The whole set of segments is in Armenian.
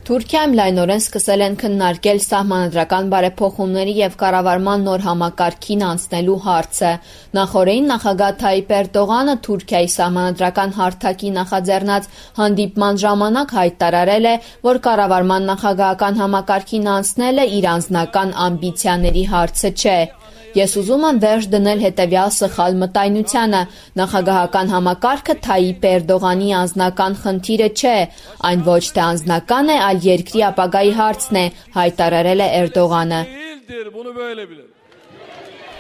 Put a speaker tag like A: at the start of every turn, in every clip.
A: Թուրքիայում լայնորեն սկսել են քննարկել սահմանադրական բարեփոխումների և կառավարման նոր համակարգին անցնելու հարցը։ Նախօրեին նախագահ Թայիպ Էրդողանը Թուրքիայի սահմանադրական հարթակի նախաձեռնած հանդիպման ժամանակ հայտարարել է, որ կառավարման նախագահական համակարգին անցնելը իր անձնական ամբիցիաների հարցը չէ։ Ես ուզում եմ վերջ դնել հետևյալ սխալ մտայնությանը. նախագահական համակարգը Թայիպ Էրդողանի անձնական խնդիրը չէ, այն ոչ թե անձնական է, այլ երկրի ապագայի հարցն է, հայտարարել է Էրդողանը։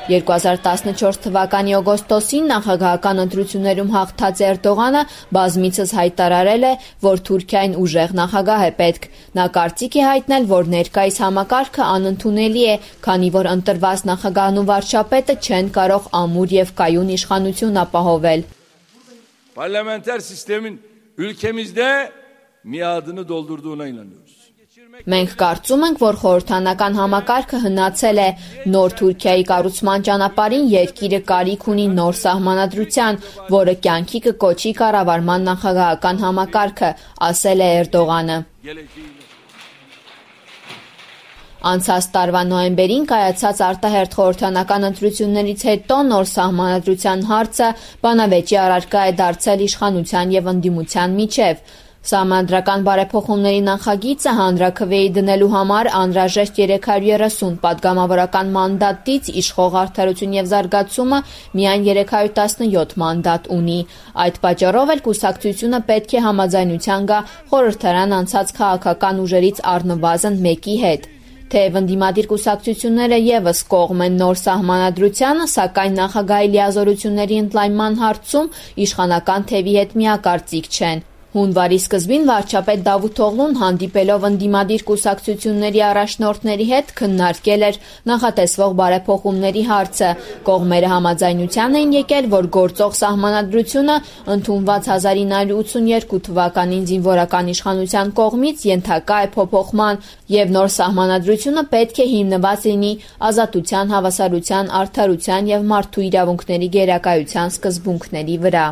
A: 2014 թվականի օգոստոսին նախագահական ընտրություններում հաղթած Էրդողանը բազմիցս հայտարարել է, որ Թուրքիային ուժեղ նախագահ է պետք։ Նա կարծիք է հայտնել, որ ներկայիս համակարգը անընդունելի է, քանի որ ընտրված նախագահն ու վարչապետը չեն կարող ամուր և կայուն իշխանություն ապահովել։
B: Parlamenter sistemin ülkemizde miadını doldurduğuna inanıyoruz.
A: Մենք կարծում ենք, որ խորհրդանական համակարգը հնացել է։ Նոր Թուրքիայի կառուցման ճանապարհին երկիրը կարիք ունի նոր սահմանադրության, որը կյանքի կկոչի կառավարման նախագահական համակարգը, ասել է Էրդողանը։ Անցած տարվա նոյեմբերին կայացած արտահերթ խորհրդանական ընտրություններից հետո նոր սահմանադրության հարցը բանավեճի առարկա է դարձել իշխանության և ընդդիմության միջև։ Սահմանադրական բարեփոխումների նախագիծը հանրաքվեի դնելու համար անհրաժեշտ 330 պատգամավորական մանդատից իշխող Արդարություն և զարգացումը միայն 317 մանդատ ունի։ Այդ պատճառով էլ կուսակցությունը պետք է համաձայնության գա խորհրդարան անցած քաղաքական ուժերից առնվազն մեկի հետ։ Թեև ընդդիմադիր կուսակցությունները ևս կողմ են նոր սահմանադրությանը, սակայն նախագահի լիազորությունների ընդլայնման հարցում իշխանական թևի հետ միակարծիք չեն։ Հունվարի սկզբին վարչապետ Դավութ Օղլուն հանդիպելով ընդդիմադիր կուսակցությունների առաջնորդների հետ քննարկել էր նախատեսվող բարեփոխումների հարցը։ Կողմերը համաձայնության էին եկել, որ գործող սահմանադրությունը ընդունված 1982 թվականին զինվորական իշխանության կողմից ենթակա է փոփոխման, և նոր սահմանադրությունը պետք է հիմնված լինի ազատության, հավասարության, արդարության և մարդու իրավունքների գերակայության սկզբունքների վրա։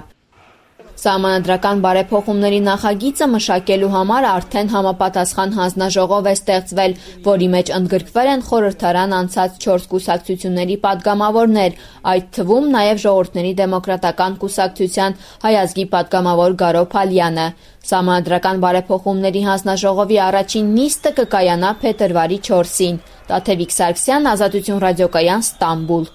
A: Սահմանադրական բարեփոխումների նախագիծը մշակելու համար արդեն համապատասխան հանձնաժողով է ստեղծվել, որի մեջ ընդգրկվել են խորհրդարան անցած 4 կուսակցությունների պատգամավորներ, այդ թվում նաև Ժողովուրդների դեմոկրատական կուսակցության Հայ ազգի պատգամավոր Գարո Փալյանը։ Սահմանադրական բարեփոխումների հանձնաժողովի առաջին նիստը կկայանա փետրվարի 4-ին։ Տաթևիկ Սարգսյան, Ազատություն ռադիոկայան, Ստամբուլ։